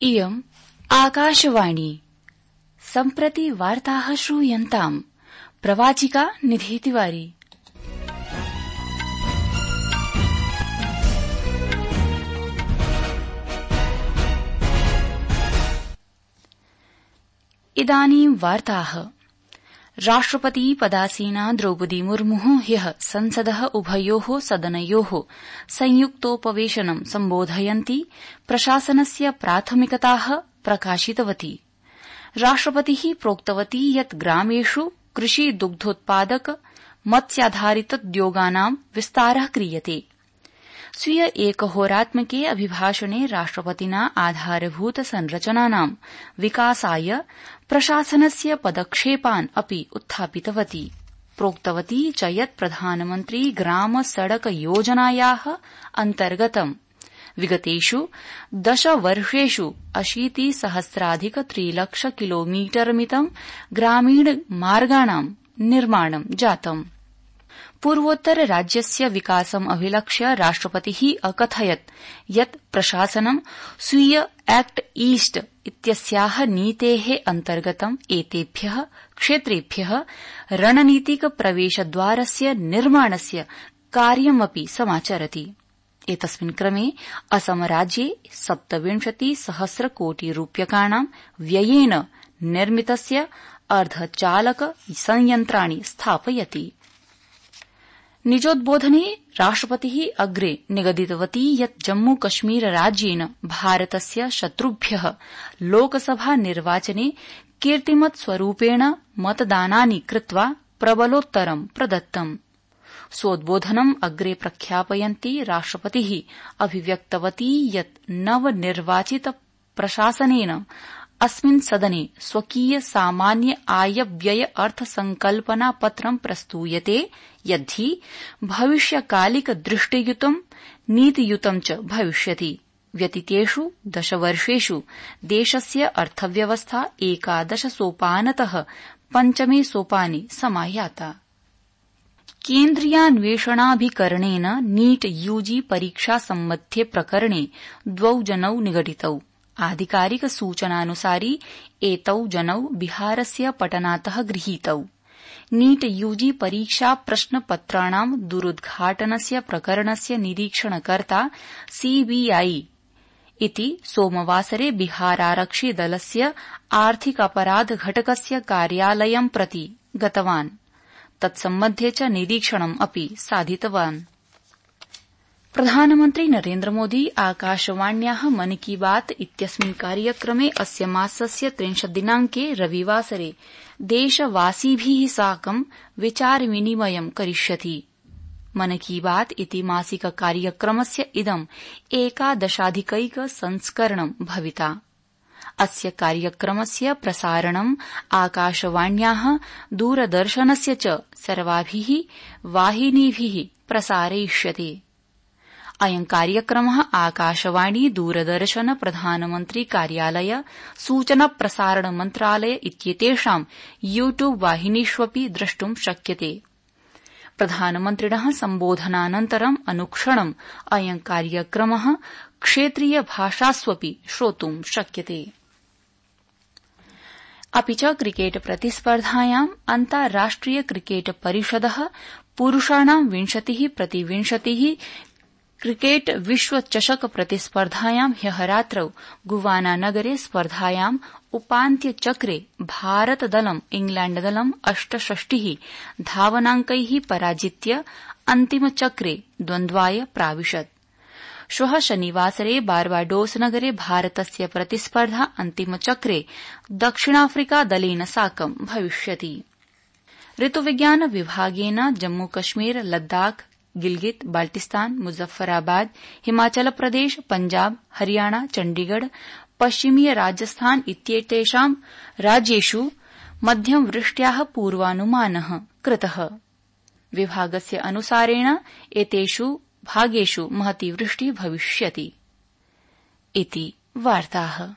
इयम् आकाशवाणी सम्प्रति वार्ताः श्रूयन्ताम्। प्रवाचिका निधि तिवारी। इदानीं वार्ताः। राष्ट्रपति पदासीना द्रौपदी मुर्मुः ह्यः संसदः उभयोः सदनयोः संयुक्तोपवेशनं सम्बोधयन्ती प्रशासनस्य प्राथमिकताः प्रकाशितवती। राष्ट्रपतिः प्रोक्तवती यत् ग्रामेषु कृषि दुग्धोत्पादक मत्स्याधारितोद्योगानां विस्तारः क्रियते। स्वीय एकहोरात्मके अभिभाषणे राष्ट्रपतिना आधारभूत संरचनानां विकासाय प्रशासनस्य पदक्षेपान् अपि उत्थापितवती। प्रोक्तवती च यत् प्रधानमन्त्री ग्राम सड़क योजनायाः अन्तर्गतं विगतेषु 10 वर्षेषु 80,000,3 लक्ष किलोमीटरमितं ग्रामीण मार्गाणां निर्माणं जातम्। पूर्वोत्तर राज्यस्य विकासम् अभिलक्ष्य राष्ट्रपतिः अकथयत् यत् प्रशासनं स्वीय एक्ट ईस्ट इत्यस्याः नीतेः अन्तर्गतं एतेभ्यः क्षेत्रेभ्यः रणनीतिक प्रवेशद्वारस्य निर्माणस्य कार्यमपि समाचरति। एतस्मिन् क्रमे असम राज्ये 27,000 कोटि रूप्यकाणां व्ययेन निर्मितस्य अर्धचालक संयन्त्राणि स्थापयति। निजोद्बोधने राष्ट्रपतिः अग्रे निगदितवती यत् जम्मू कश्मीर राज्येन भारतस्य शत्रुभ्यः लोकसभा निर्वाचने कीर्तिमत् स्वरूपेण मतदानानि कृत्वा प्रबलोत्तरं प्रदत्तम्। स्वोद्बोधनम् अग्रे प्रख्यापयन्ती राष्ट्रपतिः अभिव्यक्तवती यत् नवनिर्वाचित प्रशासनेन अस्मिन् सदने स्वकीय सामान्य आय व्यय अर्थसंकल्पना पत्रं प्रस्तूयते यद्धि भविष्यकालिक दृष्टियुतं नीतियुतं च भविष्यति। व्यतीतेषु 10 वर्षेषु देशस्य अर्थव्यवस्था 11 सोपानतः 5मे सोपाने समायाता। केन्द्रीयान्वेषणाभिकरणेन नीट यूजी परीक्षा सम्बद्धे प्रकरणे 2 जनौ निगडितौ। आधिकारिक सूचनानुसारि एतौ जनौ बिहारस्य पटनातः गृहीतौ। नीट यूजी परीक्षा प्रश्नपत्राणां दुरुद्घाटनस्य प्रकरणस्य निरीक्षणकर्ता सीबीआई इति सोमवासरे बिहारारक्षि दलस्य आर्थिक अपराध घटकस्य कार्यालयं प्रति गतवान्। तत्सम्बद्धे च निरीक्षणम् अपि साधितवान्। प्रधानमन्त्री नरेन्द्र मोदी आकाशवाण्याः मन की बात इत्यस्मिन् कार्यक्रमे अस्य मासस्य 30 दिनाङ्के रविवासरे देशवासिभिः साकं विचारविनिमयं करिष्यति। मन की बात इति मासिक कार्यक्रमस्य इदं 11 संस्करणं भविता। अस्य कार्यक्रमस्य प्रसारणं आकाशवाण्याः दूरदर्शनस्य च सर्वाभिः वाहिनीभिः प्रसारयिष्यते। अयं कार्यक्रमः आकाशवाणी दूरदर्शन प्रधानमन्त्री कार्यालय सूचना प्रसारण मन्त्रालय इत्येतेषां यूट्यूब वाहिनीष्वपि द्रष्टुं शक्यते। प्रधानमन्त्रिणः सम्बोधनानन्तरं अनुक्षणम् अयं कार्यक्रमः क्षेत्रीय भाषास्वपि श्रोतुं शक्यते। अपि च क्रिकेट प्रतिस्पर्धायाम् अन्ताराष्ट्रिय क्रिकेट परिषदः पुरुषाणां 20x20 क्रिकेट विश्व चषक प्रतिस्पर्धायां ह्यः रात्रौ गुवाना नगरे स्पर्धायाम् उपान्त्यचक्रे भारतदलं इंग्लैण्डदलं 68 धावनाङ्कैः पराजित्य अन्तिमचक्रे द्वन्द्वाय प्राविशत्। श्वः शनिवासरे बार्बाडोस नगरे भारतस्य प्रतिस्पर्धा अन्तिमचक्रे दक्षिणाफ्रिका दलेन साकं भविष्यति। ऋतुविज्ञान विभागेन जम्मूकश्मीर लद्दाख गिलगित बाल्टिस्तान मुजफ्फराबाद हिमाचल प्रदेश पंजाब हरियाणा चण्डीगढ़ पश्चिमीय राजस्थान इत्येतेषां राज्येषु मध्यम वृष्ट्याः पूर्वानुमानः कृतः। विभागस्य अनुसारेण एतेषु भागेषु महती वृष्टिः भविष्यति। इति वार्ताः।